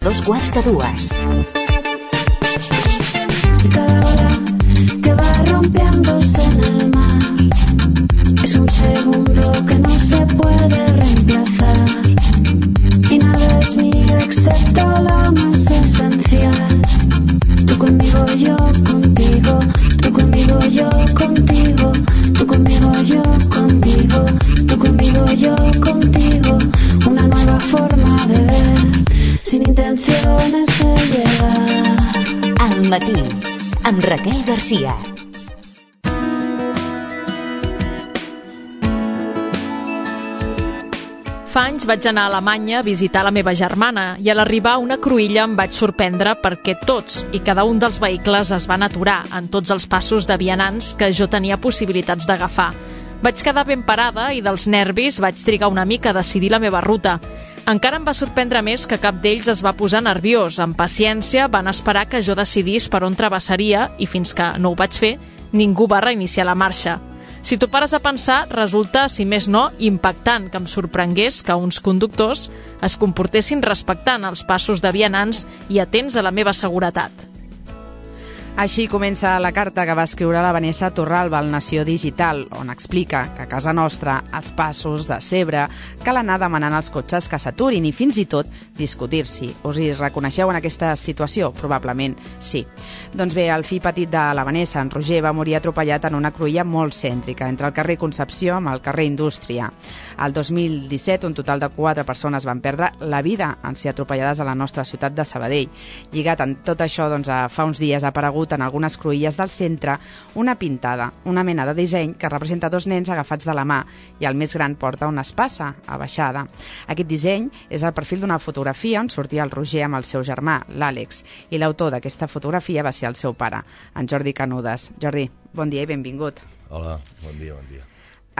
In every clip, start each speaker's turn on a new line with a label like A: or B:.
A: 2:45.
B: Cada ola que va rompiéndose en el mar es un segundo que no se puede reemplazar y nada es mío excepto lo más esencial. Tú conmigo, yo contigo, tú conmigo, yo contigo, tú conmigo, yo contigo, tú conmigo, yo contigo, una nueva forma de ver sin intenciones de llegar.
A: Al matí, amb Raquel Garcia.
C: Fa anys vaig anar a Alemanya a visitar la meva germana i a l'arribar a una cruïlla em vaig sorprendre perquè tots i cada un dels vehicles es van aturar en tots els passos de vianants que jo tenia possibilitats d'agafar. Vaig quedar ben parada i dels nervis vaig trigar una mica a decidir la meva ruta. Encara em va sorprendre més que cap d'ells es va posar nerviós. Amb paciència van esperar que jo decidís per on travessaria i fins que no ho vaig fer, ningú va reiniciar la marxa. Si t'ho pares a pensar, resulta, si més no, impactant que em sorprengués que uns conductors es comportessin respectant els passos de vianants i atents a la meva seguretat.
D: Així comença la carta que va escriure la Vanessa Torralba al Nació Digital, on explica que a casa nostra els passos de zebra cal anar demanant als cotxes que s'aturin i fins i tot discutir-s'hi. Us hi reconeixeu en aquesta situació? Probablement sí. Doncs bé, el fill petit de la Vanessa, en Roger, va morir atropellat en una cruïlla molt cèntrica, entre el carrer Concepció amb el carrer Indústria. Al 2017, un total de 4 persones van perdre la vida en ser atropellades a la nostra ciutat de Sabadell. Lligat en tot això, doncs, fa uns dies ha aparegut en algunes cruïlles del centre una pintada, una mena de disseny que representa 2 nens agafats de la mà i el més gran porta una espasa abaixada. Aquest disseny és el perfil d'una fotografia on sortia el Roger amb el seu germà, l'Àlex, i l'autor d'aquesta fotografia va ser el seu pare, en Jordi Canudes. Jordi, bon dia i benvingut.
E: Hola, bon dia, bon dia.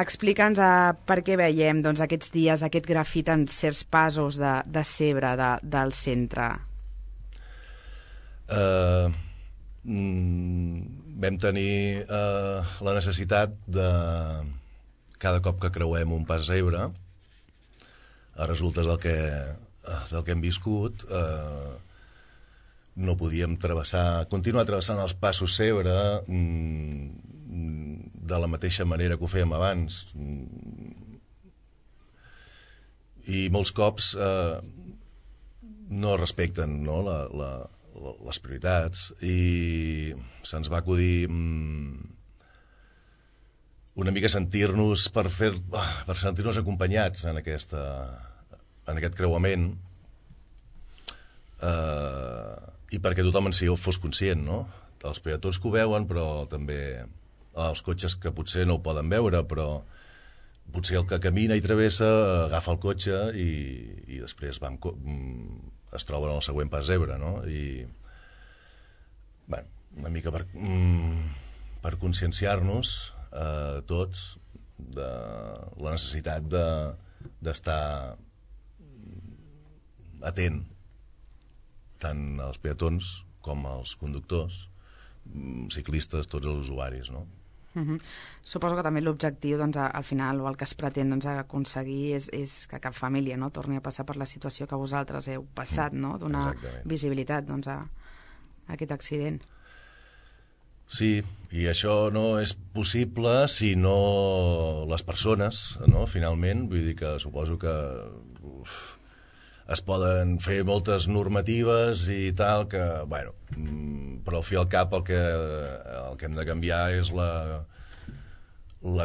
D: Explica'ns per què veiem aquests dies aquest grafit en certs passos de zebra del centre.
E: Vam tenir la necessitat de cada cop que creuem un pas zebra, a resultes del que hem viscut, no podíem continuar travessant els passos zebra de la mateixa manera que ho fèiem abans. I molts cops no respecten, no, les prioritats, i se'ns va acudir una mica sentir-nos per sentir-nos acompanyats en aquest creuament, i perquè tothom en si fos conscient, no? Els peatons que ho veuen, però també els cotxes que potser no ho poden veure, però potser el que camina i travessa agafa el cotxe i després es troben al següent pas zebra, no? I una mica per conscienciar-nos tots de la necessitat d'estar atent tant als peatons com als conductors, ciclistes, tots els usuaris, no?
D: Suposo que també l'objectiu, al final, o el que es pretén aconseguir és que cap família torni a passar per la situació que vosaltres heu passat, no? Donar visibilitat a aquest accident.
E: Sí, i això no és possible si no les persones, no? Finalment, vull dir que suposo que es poden fer moltes normatives i tal, que, bueno, però al fi i al cap el que hem de canviar és la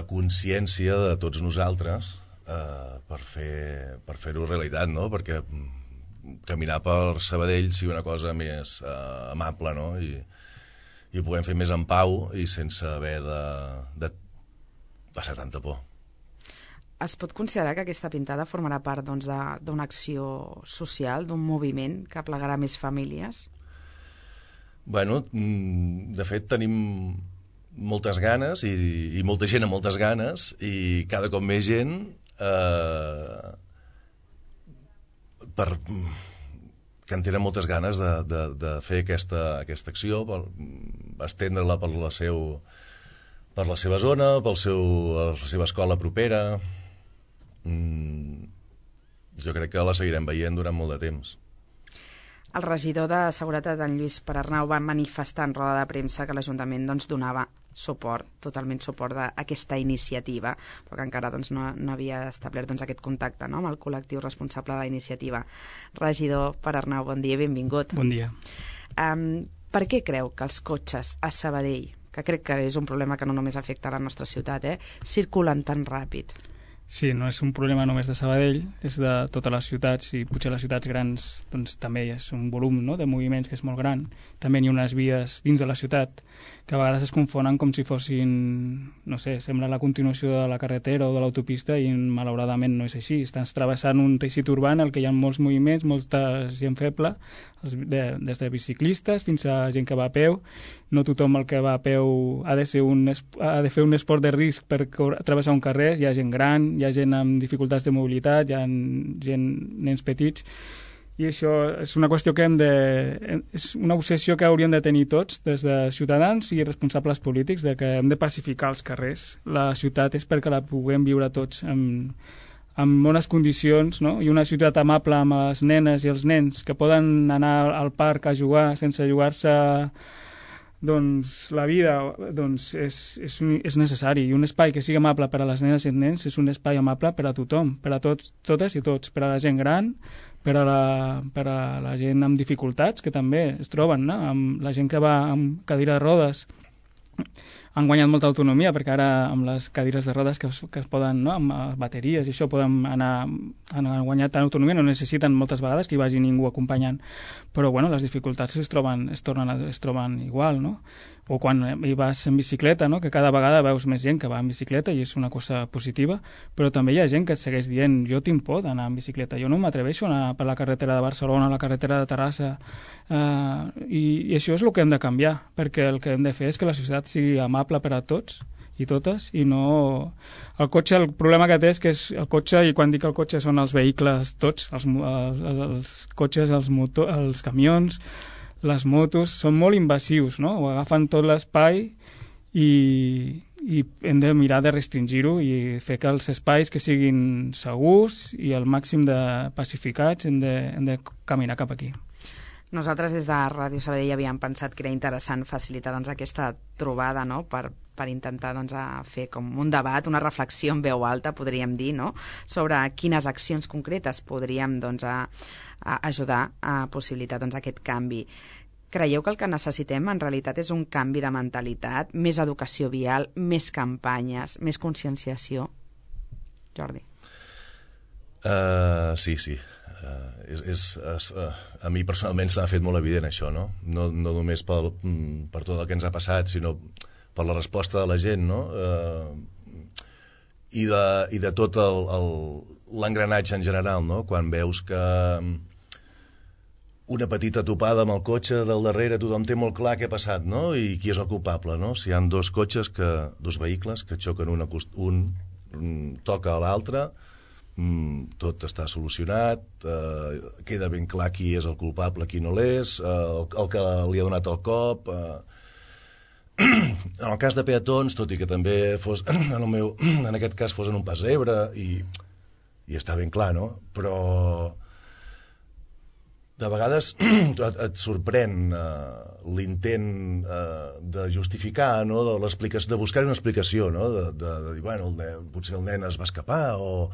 E: consciència de tots nosaltres per fer-ho realitat, no? Perquè caminar per Sabadell sigui una cosa més amable, no? I ho puguem fer més en pau i sense haver de passar tanta por.
D: Es pot considerar que aquesta pintada formarà part d'una acció social, d'un moviment que aplegarà més famílies?
E: Bueno, de fet tenim moltes ganes i molta gent amb moltes ganes i cada cop més gent que en tenen moltes ganes de fer aquesta acció, estendre-la per la seva zona, per la seva escola propera. Jo crec que la seguirem veient durant molt de temps.
D: El regidor de Seguretat, en Lluís Perarnau, va manifestar en roda de premsa que l'Ajuntament donava suport, totalment suport d'aquesta iniciativa, però que encara no havia establert aquest contacte amb el col·lectiu responsable de la iniciativa. Regidor Perarnau, bon dia i benvingut.
F: Bon dia.
D: Per què creu que els cotxes a Sabadell, que crec que és un problema que no només afecta a la nostra ciutat, circulen tan ràpid?
F: Sí, no és un problema només de Sabadell, és de totes les ciutats, i potser les ciutats grans també és un volum de moviments que és molt gran. També hi ha unes vies dins de la ciutat que a vegades es confonen com si fossin, no sé, sembla la continuació de la carretera o de l'autopista i malauradament no és així. Estàs travessant un teixit urbà en el que hi ha molts moviments, molta gent feble, des de biciclistes fins a gent que va a peu. No tothom el que va a peu ha de fer un esport de risc per travessar un carrer. Hi ha gent gran, hi ha gent amb dificultats de mobilitat, hi ha nens petits, i això és una qüestió que és una obsessió que hauríem de tenir tots, des de ciutadans i responsables polítics, de que hem de pacificar els carrers. La ciutat és perquè la puguem viure tots en bones condicions, no? I una ciutat amable amb les nenes i els nens que poden anar al parc a jugar sense jugar-se la vida, és necessari. I un espai que sigui amable per a les nenes i els nens és un espai amable per a tothom, per a totes i tots, per a la gent gran, per a la gent amb dificultats, que també es troben, no? Amb la gent que va amb cadira de rodes. Han guanyat molta autonomia, perquè ara amb les cadires de rodes que es poden, no? Amb bateries i això, han guanyat tant autonomia, no necessiten moltes vegades que hi vagi ningú acompanyant, però les dificultats es troben igual, no? O quan hi vas en bicicleta, no? Que cada vegada veus més gent que va en bicicleta i és una cosa positiva, però també hi ha gent que et segueix dient: jo tinc por d'anar en bicicleta, jo no m'atreveixo a anar per la carretera de Barcelona, la carretera de Terrassa, i això és el que hem de canviar, perquè el que hem de fer és que la societat sigui amable per a tots i totes, i no... El cotxe, el problema que té és que el cotxe, i quan dic el cotxe són els vehicles tots, els cotxes, els camions, les motos, són molt invasius, no? Ho agafen tot l'espai i hem de mirar de restringir-ho i fer que els espais que siguin segurs i al màxim de pacificats hem de caminar cap aquí.
D: Nosaltres des de Ràdio Sabadell havíem pensat que era interessant facilitar aquesta trobada, no? per intentar fer com un debat, una reflexió en veu alta, podríem dir, no? Sobre quines accions concretes podríem ajudar a possibilitar aquest canvi. Creieu que el que necessitem en realitat és un canvi de mentalitat, més educació vial, més campanyes, més conscienciació? Jordi.
E: Sí. A mi personalment s'ha fet molt evident això, no? No només per tot el que ens ha passat, sinó per la resposta de la gent, no? I de tot l'engranatge en general, no? Quan veus que una petita topada amb el cotxe del darrere, tothom té molt clar què ha passat, no? I qui és el culpable, no? Si hi ha dos vehicles que xoquen un toca a l'altre, tot està solucionat, queda ben clar qui és el culpable, qui no l'és, el que li ha donat el cop. En el cas de peatons, tot i que també fos, en aquest cas fos en un pas zebra, i està ben clar, no? Però de vegades et sorprèn l'intent de justificar, no? De buscar una explicació, no? De dir, bueno, potser el nen es va escapar, o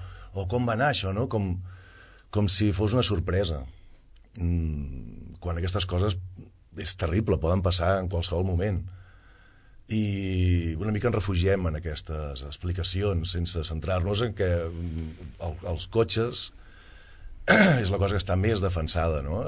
E: com va anar això, no? Com si fos una sorpresa. Quan aquestes coses és terrible, poden passar en qualsevol moment. I una mica ens refugiem en aquestes explicacions sense centrar-nos en que els cotxes és la cosa que està més defensada, no?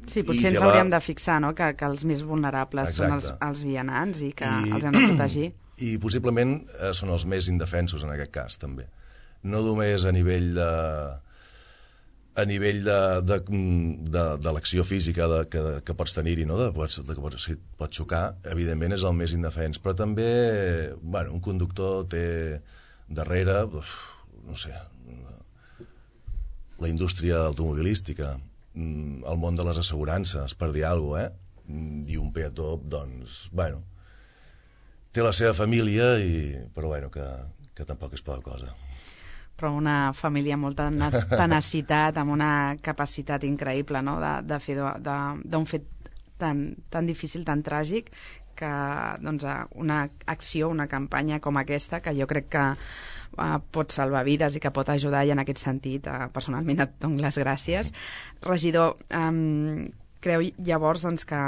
D: Sí, potser ens hauríem de fixar, no? Que els més vulnerables són els vianants i que els hem de protegir.
E: I possiblement són els més indefensos en aquest cas, també. No només a nivell de l'acció física que pots tenir-hi, no? Si et pots xocar, evidentment és el més indefens, però també un conductor té darrere, no sé, la indústria automobilística, el món de les assegurances, per dir alguna cosa, i un peató, doncs, té la seva família, però que tampoc és poca cosa.
D: però una família amb molta tenacitat, amb una capacitat increïble, no?, de fer d'un fet tan difícil, tan tràgic, que doncs, una acció, una campanya com aquesta, que jo crec que pot salvar vides i que pot ajudar, i en aquest sentit personalment et dono les gràcies. Regidor, creu llavors doncs, que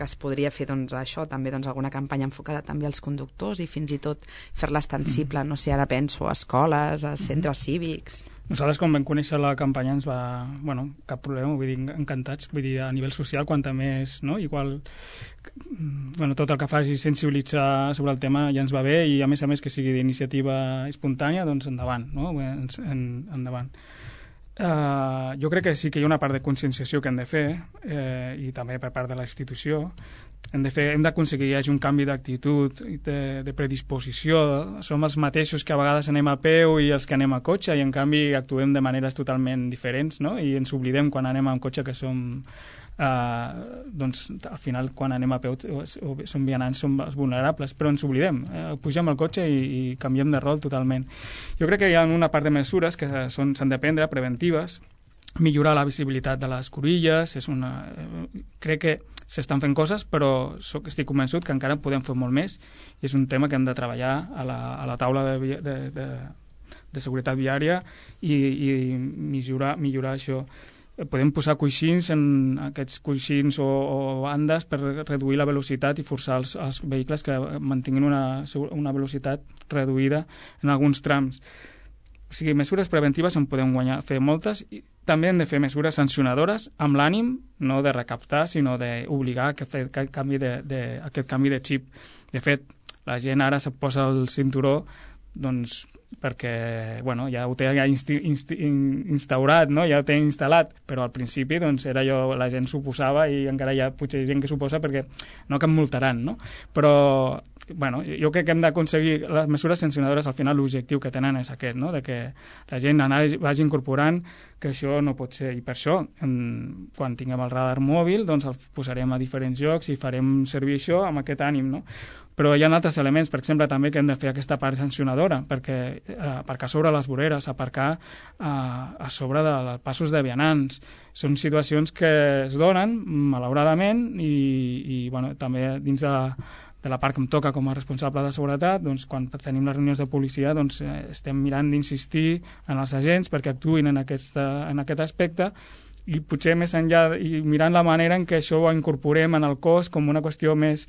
D: es podria fer això, també alguna campanya enfocada també als conductors i fins i tot fer-la extensible, no sé, ara penso a escoles, a centres cívics?
F: Nosaltres, quan vam conèixer la campanya, ens va... Bueno, cap problema, vull dir, encantats. Vull dir, a nivell social, quanta més, no? Igual, bueno, tot el que faci sensibilitzar sobre el tema ja ens va bé, i a més que sigui d'iniciativa espontània, doncs endavant, no? Endavant. Jo crec que sí que hi ha una part de conscienciació que hem de fer, i també per part de la institució. Hem d'aconseguir que hi hagi un canvi d'actitud, de predisposició. Som els mateixos que a vegades anem a peu i els que anem a cotxe, i en canvi actuem de maneres totalment diferents, no? I ens oblidem quan anem en cotxe que som... doncs al final quan anem a peu som vianants, som els vulnerables, però ens oblidem, pugem al cotxe i canviem de rol totalment. Jo crec que hi ha una part de mesures que s'han de prendre, preventives, millorar la visibilitat de les cruïlles, crec que s'estan fent coses, però estic convençut que encara podem fer molt més, i és un tema que hem de treballar a la taula de seguretat viària i millorar això. Podem posar coixins, en aquests coixins o bandes, per reduir la velocitat i forçar els vehicles que mantinguin una velocitat reduïda en alguns trams. O sigui, mesures preventives en podem fer moltes, i també hem de fer mesures sancionadores amb l'ànim no de recaptar, sinó d'obligar a fer aquest canvi de xip. De fet, la gent ara se posa el cinturó doncs perquè ja ho té instaurat, no? Ja ho té instal·lat, però al principi era allò, la gent s'ho posava, i encara hi ha potser gent que s'ho posa perquè no, que em multaran, no? Però jo crec que hem d'aconseguir les mesures sancionadores. Al final l'objectiu que tenen és aquest, no? De que la gent vagi incorporant que això no pot ser, i per això quan tinguem el radar mòbil doncs el posarem a diferents llocs i farem servir això amb aquest ànim, no? Però hi ha altres elements, per exemple, també que hem de fer aquesta part sancionadora, perquè aparcar sobre les voreres, aparcar a sobre dels passos de vianants, són situacions que es donen, malauradament, i també dins de la part que em toca com a responsable de seguretat, doncs, quan tenim les reunions de policia, doncs, estem mirant d'insistir en els agents perquè actuïn en aquest aspecte, i potser més enllà, i mirant la manera en què això ho incorporem en el cos com una qüestió més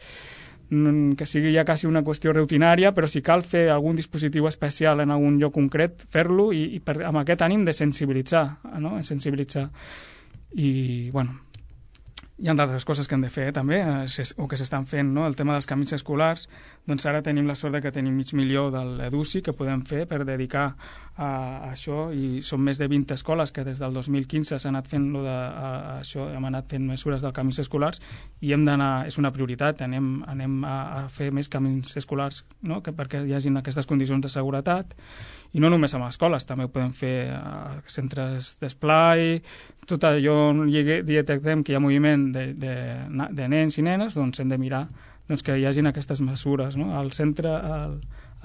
F: que sigui ja quasi una qüestió rutinària, però si cal fer algun dispositiu especial en algun lloc concret, fer-lo, i amb aquest ànim de sensibilitzar, no? Sensibilitzar. I, hi ha d'altres coses que hem de fer també, o que s'estan fent, no? El tema dels camins escolars, doncs ara tenim la sort que tenim 500.000 de l'EDUSI que podem fer per dedicar a això, i són més de 20 escoles que des del 2015 s'han anat fent això, hem anat fent mesures dels camins escolars, i hem d'anar, és una prioritat, anem a fer més camins escolars, no? Perquè hi hagin aquestes condicions de seguretat, i no només amb escoles, també ho podem fer a centres d'esplai, tot allò on detectem que hi ha moviment de nens i nenes, doncs hem de mirar que hi hagin aquestes mesures, no? Al centre,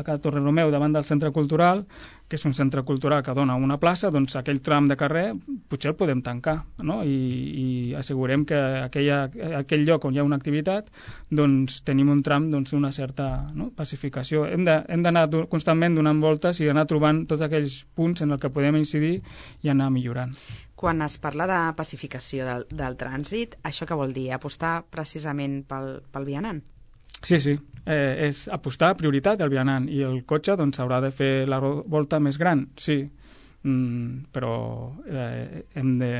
F: a Torrenomeu, davant del centre cultural, que és un centre cultural que dona una plaça, doncs aquell tram de carrer potser el podem tancar, no? I assegurem que aquell lloc on hi ha una activitat, doncs tenim un tram d'una certa pacificació. Hem d'anar constantment donant voltes i anar trobant tots aquells punts en els que podem incidir i anar millorant.
D: Quan es parla de pacificació del trànsit, això què vol dir? Apostar precisament pel vianant?
F: Sí, és apostar, prioritat del vianant, i el cotxe doncs haurà de fer la volta més gran, sí, però hem de...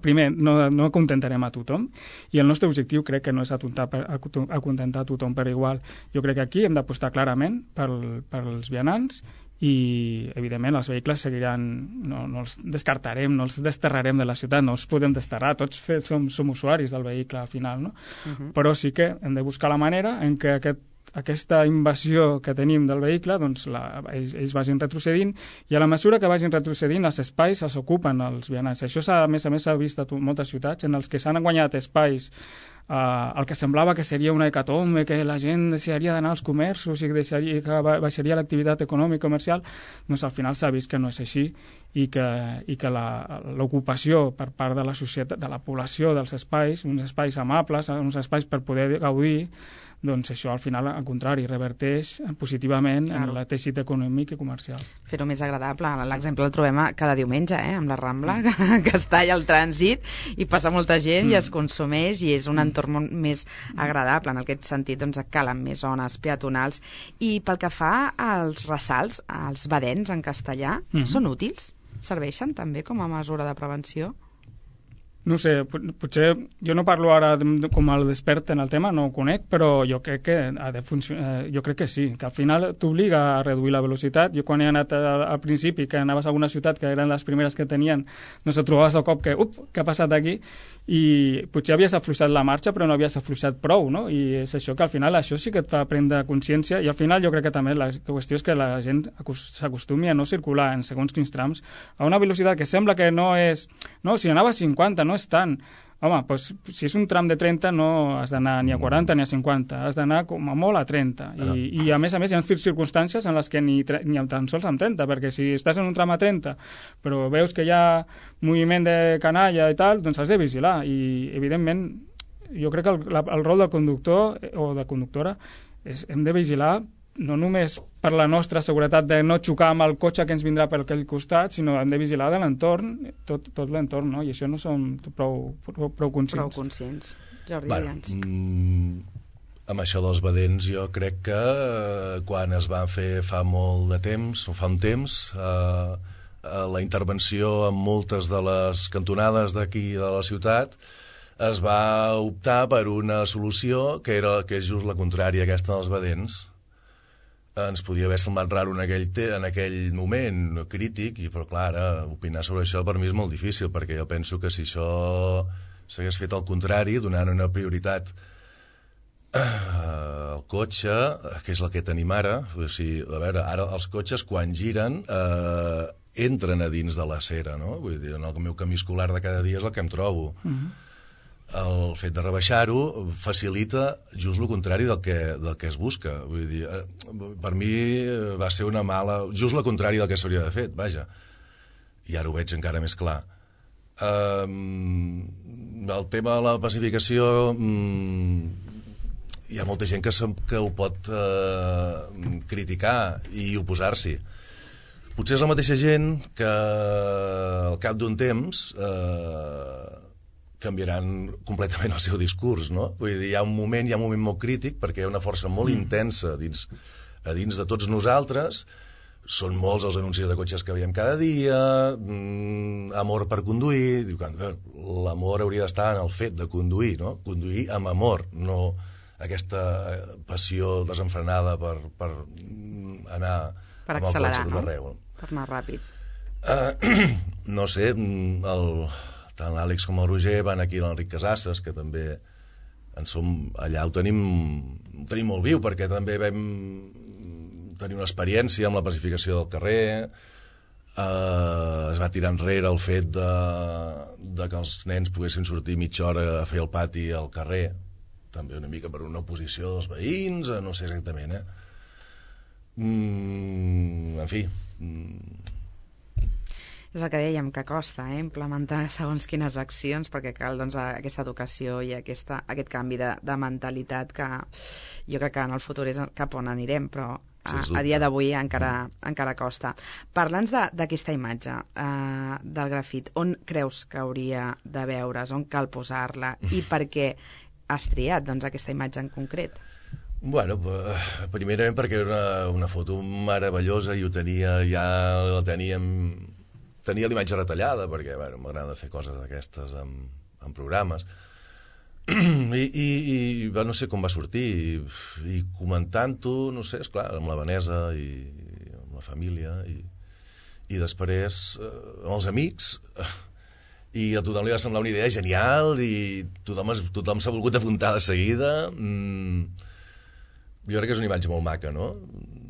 F: Primer, no acontentarem a tothom, i el nostre objectiu crec que no és acontentar a tothom per igual. Jo crec que aquí hem d'apostar clarament pels vianants, i evidentment els vehicles seguiran, no els descartarem, no els desterrarem de la ciutat, no els podem desterrar, tots som usuaris del vehicle al final, no? Però sí que hem de buscar la manera en què aquesta invasió que tenim del vehicle, doncs ells vagin retrocedint, i a la mesura que vagin retrocedint els espais els ocupen els vianants. Això a més s'ha vist a moltes ciutats en els que s'han guanyat espais el que semblava que seria una hecatombe, que la gent deixaria d'anar als comerços i que baixaria l'activitat econòmica i comercial, doncs al final s'ha vist que no és així i que l'ocupació per part de la societat, de la població dels espais, uns espais amables, uns espais per poder gaudir, doncs això al final, al contrari, reverteix positivament en el teixit econòmic i comercial.
D: Fer-ho més agradable. L'exemple el trobem cada diumenge, amb la Rambla, que està allà al trànsit i passa molta gent i es consumeix i és un entorn més agradable. En aquest sentit, doncs, calen més zones peatonals. I pel que fa als ressalts, als badens en castellà, són útils? Serveixen també com a mesura de prevenció?
F: No sé, potser jo no parlo ara com el despert en el tema, no ho conec, però jo crec que ha de funcionar, jo crec que sí, que al final t'obliga a reduir la velocitat. Jo quan he anat al principi, que anaves a alguna ciutat que eren les primeres que tenien, doncs et trobaves de cop que, què ha passat aquí? I potser havies afluixat la marxa però no havies afluixat prou, no? I és això que al final això sí que et fa prendre consciència i al final jo crec que també la qüestió és que la gent s'acostumi a no circular en segons quins trams a una velocitat que sembla que no és... No, si anava a 50 no és tant. Home, doncs, si és un tram de 30 no has d'anar ni a 40 ni a 50, has d'anar com a molt a 30. I a més hi ha circumstàncies en les que ni tan sols amb 30, perquè si estàs en un tram a 30 però veus que hi ha moviment de canalla i tal, doncs has de vigilar. I, evidentment, jo crec que el rol del conductor o de conductora és hem de vigilar no només per la nostra seguretat de no xocar amb el cotxe que ens vindrà per aquell costat, sinó hem de vigilar de l'entorn, tot l'entorn, no? I això no som prou conscients.
D: Prou conscients. Jordi Vians.
E: Amb això dels badents, jo crec que quan es van fer fa molt de temps, o fa un temps, la intervenció en moltes de les cantonades d'aquí de la ciutat es va optar per una solució que és just la contrària aquesta dels badents. Ens podia haver semblat raro en aquell moment crític, però clar, ara opinar sobre això per mi és molt difícil, perquè jo penso que si això s'hagués fet al contrari, donant una prioritat al cotxe, que és el que tenim ara, o sigui, a veure, ara els cotxes quan giren entren a dins de la cera, no? Vull dir, en el meu camí escolar de cada dia és el que em trobo. El fet de rebaixar-ho facilita just el contrari del que es busca. Vull dir, per mi va ser una mala... just el contrari del que s'hauria de fet, vaja. I ara ho veig encara més clar. El tema de la pacificació... hi ha molta gent que ho pot criticar i oposar-s'hi. Potser és la mateixa gent que al cap d'un temps... canviaran completament el seu discurs, no? Vull dir, hi ha un moment molt crític perquè hi ha una força molt intensa a dins de tots nosaltres. Són molts els anuncis de cotxes que veiem cada dia, amor per conduir. L'amor hauria d'estar en el fet de conduir, no? Conduir amb amor, no aquesta passió desenfrenada per anar
D: per
E: amb
D: accelerar,
E: el cotxe tot arreu.
D: Per anar ràpid.
E: No sé, tant l'Àlex com el Roger van aquí a l'Enric Casasses, que també allà ho tenim molt viu, perquè també vam tenir una experiència amb la pacificació del carrer, es va tirar enrere el fet de que els nens poguessin sortir mitja hora a fer el pati al carrer, també una mica per una oposició dels veïns, no sé exactament, en fi...
D: És el que dèiem, que costa implementar segons quines accions, perquè cal doncs, aquesta educació i aquest canvi de mentalitat que jo crec que en el futur és cap on anirem, però a dia d'avui encara costa. Parla'ns d'aquesta imatge del grafit. On creus que hauria de veure's? On cal posar-la? I per què has triat aquesta imatge en concret?
E: Bueno, primerament perquè era una foto meravellosa i tenia l'imatge retallada, perquè m'agrada fer coses d'aquestes en programes. I no sé com va sortir, i comentant-ho, no sé, esclar, amb la Vanessa i amb la família, i després amb els amics, i a tothom li va semblar una idea genial, i tothom s'ha volgut apuntar de seguida. Jo crec que és una imatge molt maca, no?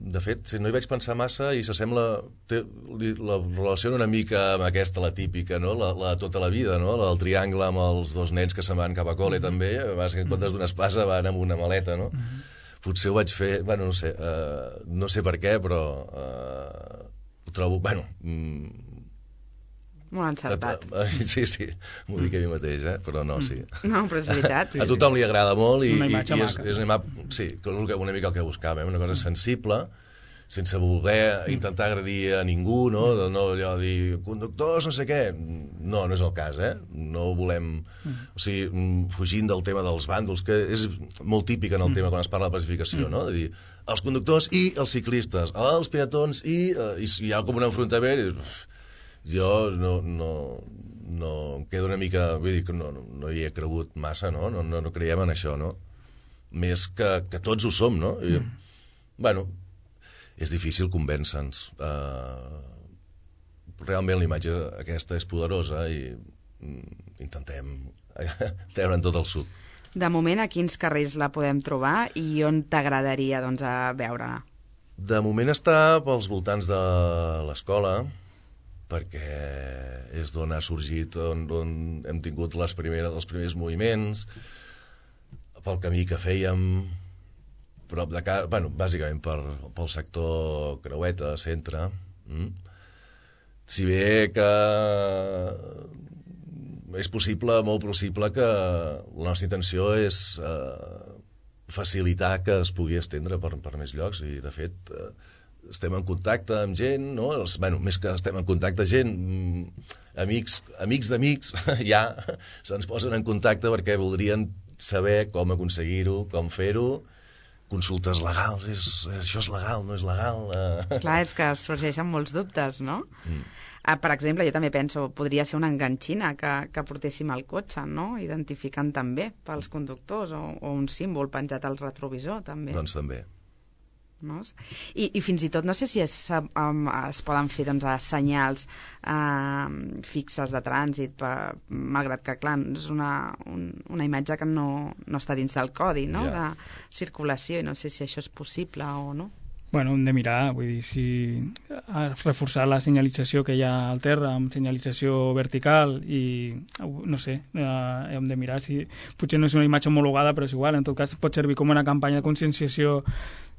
E: de fet, no hi vaig pensar massa i s'assembla, la relació una mica amb aquesta, la típica, no? La tota la vida, no? La del triangle amb els dos nens que se'n van cap a col·le també, vas que en comptes d'una espasa van amb una maleta, no? Potser ho vaig fer, bueno, no sé per què, però ho trobo, bueno...
D: Molt encertat.
E: Sí, m'ho dic a mi mateix, però no, sí.
D: No, però és veritat.
E: A tothom li agrada molt i
F: una imatge maca.
E: És una mica el que buscàvem, una cosa sensible, sense voler intentar agredir a ningú, no allò de dir, conductors, no sé què. No és el cas, no volem... O sigui, fugint del tema dels bàndols, que és molt típic en el tema quan es parla de pacificació, no? De dir, els conductors i els ciclistes, els peatons i hi ha com un enfrontament i... Jo no em quedo una mica... Vull dir que no hi he cregut massa, no creiem en això, no? Més que tots ho som, no? Bueno, és difícil convèncer-nos. Realment la imatge aquesta és poderosa i intentem treure'n tot el suc.
D: De moment, a quins carrers la podem trobar i on t'agradaria veure-la?
E: De moment està pels voltants de l'escola, perquè és d'on ha sorgit, on hem tingut els primers moviments, pel camí que fèiem, prop de casa, bueno, bàsicament pel sector Creueta, centre. Si bé que és possible, molt possible, que la nostra intenció és facilitar que es pugui estendre per més llocs, i de fet... estem en contacte amb gent, no? Més que estem en contacte, gent, amics d'amics, ja se'ns posen en contacte perquè voldrien saber com aconseguir-ho, com fer-ho, consultes legals, això és legal, no és legal...
D: Clar, és que sorgeixen molts dubtes, no? Per exemple, jo també penso, podria ser una enganxina que portéssim al cotxe, no? Identificant també pels conductors, o un símbol penjat al retrovisor, també.
E: Doncs també.
D: No? I fins i tot no sé si es poden fer senyals fixes de trànsit, malgrat que clar, és una imatge que no està dins del codi, no? De circulació, i no sé si això és possible o no.
F: Bueno, hem de mirar, vull dir, si reforçar la senyalització que hi ha al terra amb senyalització vertical i, no sé, hem de mirar si... Potser no és una imatge homologada, però és igual, en tot cas pot servir com una campanya de conscienciació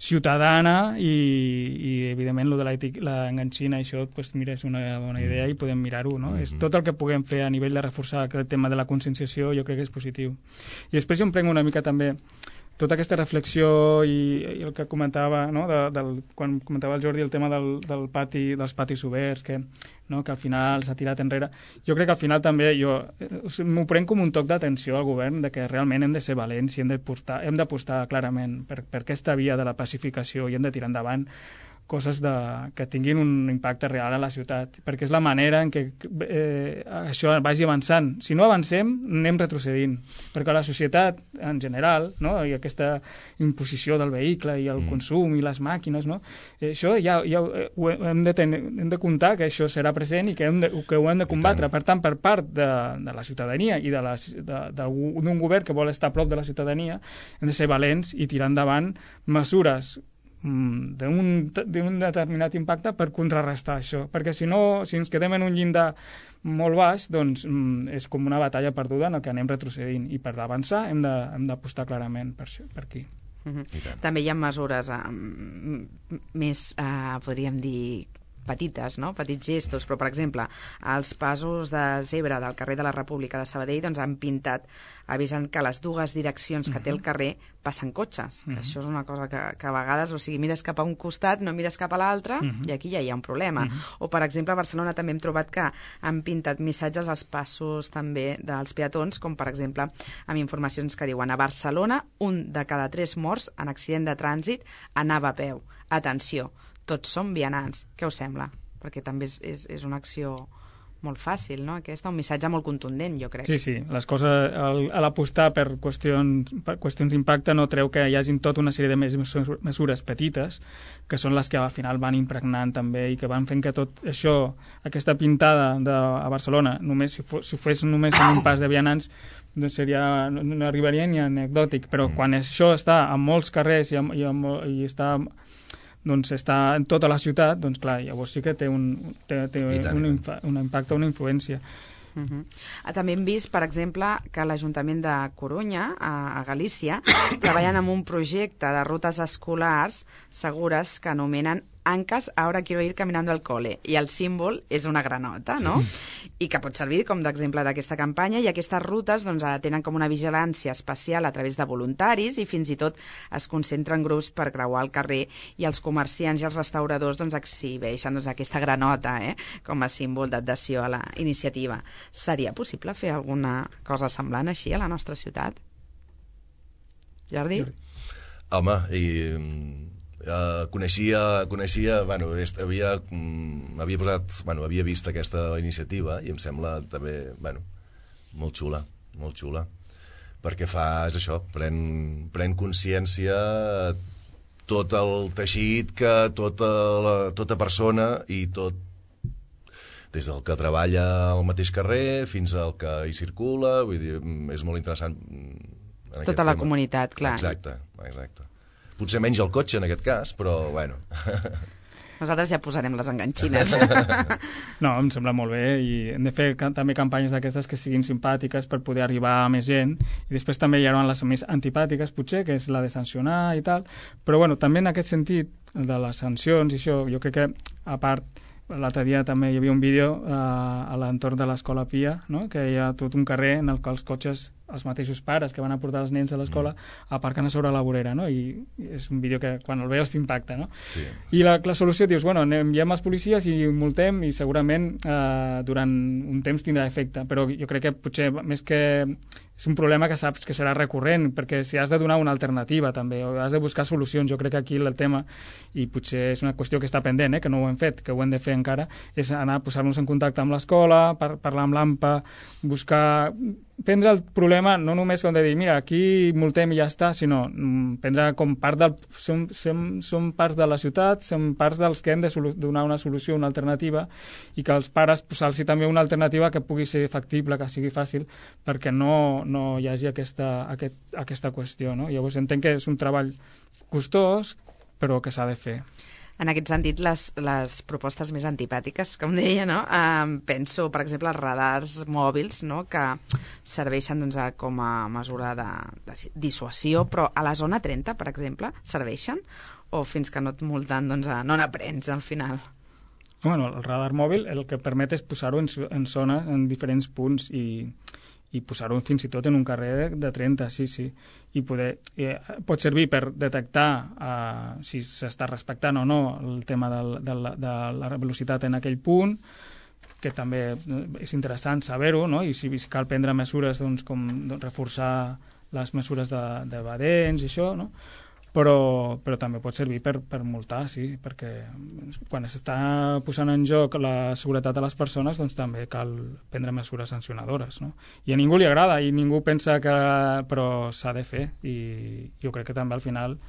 F: ciutadana i evidentment, lo de l'enganxina, això, pues, mira, és una bona idea i podem mirar-ho, no? És tot el que puguem fer a nivell de reforçar aquest tema de la conscienciació, jo crec que és positiu. I després jo em prenc una mica també tota aquesta reflexió i el que comentava, no? Quan comentava el Jordi el tema dels patis oberts, que al final s'ha tirat enrere. Jo crec que al final també m'ho prenc com un toc d'atenció al govern, de que realment hem de ser valents i hem d'apostar clarament per aquesta via de la pacificació i hem de tirar endavant coses que tinguin un impacte real a la ciutat, perquè és la manera en què això vagi avançant. Si no avancem, anem retrocedint, perquè la societat en general, no? I aquesta imposició del vehicle i el consum i les màquines, no? Això ja hem de comptar que això serà present i que ho hem de combatre. Per tant, per part de la ciutadania i d'un govern que vol estar a prop de la ciutadania, hem de ser valents i tirar endavant mesures d'un determinat impacte per contrarrestar això, perquè si ens quedem en un llindar molt baix, doncs és com una batalla perduda en el que anem retrocedint, i per avançar hem d'apostar clarament per aquí.
D: També hi ha mesures més, podríem dir, petites, no? Petits gestos, però per exemple els passos de zebra del carrer de la República de Sabadell doncs han pintat avisant que les dues direccions que té el carrer passen cotxes. Això és una cosa que a vegades, o sigui, mires cap a un costat, no mires cap a l'altre, i aquí ja hi ha un problema. O per exemple a Barcelona també hem trobat que han pintat missatges als passos també dels peatons, com per exemple amb informacions que diuen: a Barcelona 1 de cada 3 morts en accident de trànsit anava a peu. Atenció, tots som vianants. Què us sembla? Perquè també és una acció molt fàcil, no? Aquesta, un missatge molt contundent, jo crec.
F: Sí, les coses, a l'apostar per qüestions d'impacte no treu que hi hagin tota una sèrie de mesures petites, que són les que al final van impregnant també i que van fent que tot això, aquesta pintada a Barcelona, només si fos només en un pas de vianants, no arribaria ni anecdòtic, però quan això està en molts carrers i està doncs està en tota la ciutat, doncs clar, llavors sí que té un impacte, una influència.
D: També hem vist, per exemple, que l'Ajuntament de Corunya, a Galícia, treballen en un projecte de rutes escolars segures que anomenen Ancas, ahora quiero ir caminando al cole. I el símbol és una granota, no? I que pot servir com d'exemple d'aquesta campanya, i aquestes rutes doncs, tenen com una vigilància especial a través de voluntaris i fins i tot es concentren grups per creuar el carrer, i els comerciants i els restauradors doncs, exhibeixen aquesta granota com a símbol d'adhesió a la iniciativa. Seria possible fer alguna cosa semblant així a la nostra ciutat? Jordi?
E: Home, coneixia, bueno, havia vist aquesta iniciativa i em sembla també, bueno, molt xula, perquè és això, pren consciència tot el teixit que tota persona i tot, des del que treballa al mateix carrer fins al que hi circula, vull dir, és molt interessant.
D: Tota la comunitat, clar.
E: Exacte. Potser menys el cotxe en aquest cas, però bueno.
D: Nosaltres ja posarem les enganxines.
F: No, em sembla molt bé, i hem de fer també campanyes d'aquestes que siguin simpàtiques per poder arribar a més gent, i després també hi haurà les més antipàtiques, potser, que és la de sancionar i tal, però bueno, també en aquest sentit, de les sancions i això, jo crec que, a part, l'altre dia també hi havia un vídeo a l'entorn de l'Escola Pia, no? Que hi ha tot un carrer en el que els cotxes, els mateixos pares que van a portar els nens a l'escola, aparquen a sobre la vorera, no? I és un vídeo que quan el veus t'impacta, no?
E: Sí.
F: I la solució, dius, bueno, enviem els policies i multem, i segurament durant un temps tindrà efecte, però jo crec que potser més que és un problema que saps que serà recurrent, perquè si has de donar una alternativa també, o has de buscar solucions, jo crec que aquí el tema, i potser és una qüestió que està pendent, que no ho hem fet, que ho hem de fer encara, és anar a posar-nos en contacte amb l'escola, parlar amb l'AMPA, prendre el problema no només com de dir, mira, aquí multem i ja està, sinó prendre com part del... Som parts de la ciutat, som parts dels que hem de donar una solució, una alternativa, i que els pares posar-los també una alternativa que pugui ser factible, que sigui fàcil, perquè no hi hagi aquesta qüestió, no? Llavors entenc que és un treball costós, però que s'ha de fer.
D: En aquest sentit, les propostes més antipàtiques, com deia, no? Penso, per exemple, als radars mòbils, no? Que serveixen doncs, com a mesura de dissuasió, però a la zona 30, per exemple, serveixen? O fins que no et multen, doncs, no n'aprens al final?
F: Bueno, el radar mòbil el que permet és posar-ho en zones, en diferents punts, i posar-ho fins i tot en un carrer de 30, sí. I pot servir per detectar si s'està respectant o no el tema de la velocitat en aquell punt, que també és interessant saber-ho, no? I si cal prendre mesures com reforçar les mesures de badents i això, no? Però també pot servir per multar, sí, perquè quan s'està posant en joc la seguretat de les persones, doncs també cal prendre mesures sancionadores, no? I a ningú li agrada, i ningú pensa que... però s'ha de fer, i jo crec que també al final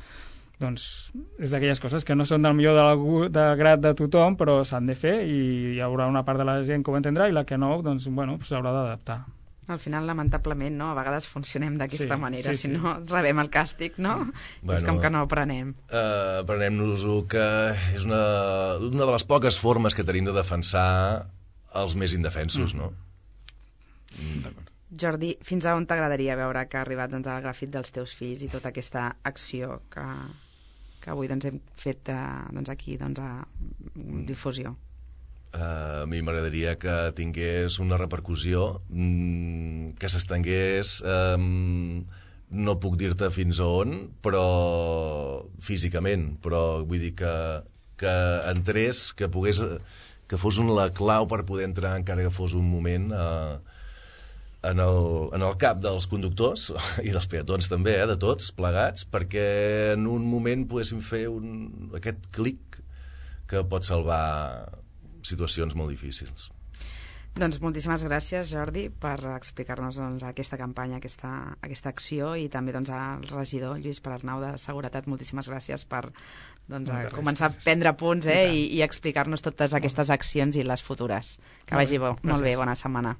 F: doncs és d'aquelles coses que no són del millor de grat de tothom, però s'han de fer, i hi haurà una part de la gent que ho entendrà, i la que no, doncs, bueno, s'haurà d'adaptar.
D: Al final, lamentablement, no? A vegades funcionem d'aquesta manera, si no rebem el càstig, no? Bueno, és com que no aprenem.
E: Aprenem-nos-ho, que és una de les poques formes que tenim de defensar els més indefensos, no?
D: Jordi, fins a on t'agradaria veure que ha arribat el grafit dels teus fills i tota aquesta acció que avui hem fet aquí a difusió?
E: A mi m'agradaria que tingués una repercussió, que s'estengués, no puc dir-te fins a on, però físicament, però vull dir que entrés, que fos la clau per poder entrar, encara que fos un moment, en el cap dels conductors i dels peatons també, de tots plegats, perquè en un moment poguéssim fer aquest clic que pot salvar situacions molt difícils.
D: Doncs moltíssimes gràcies, Jordi, per explicar-nos aquesta campanya, aquesta acció, i també al regidor Lluís Perarnau de Seguretat. Moltíssimes gràcies per començar a prendre punts i explicar-nos totes aquestes accions i les futures. Que vagi bo. Molt bé, bona setmana.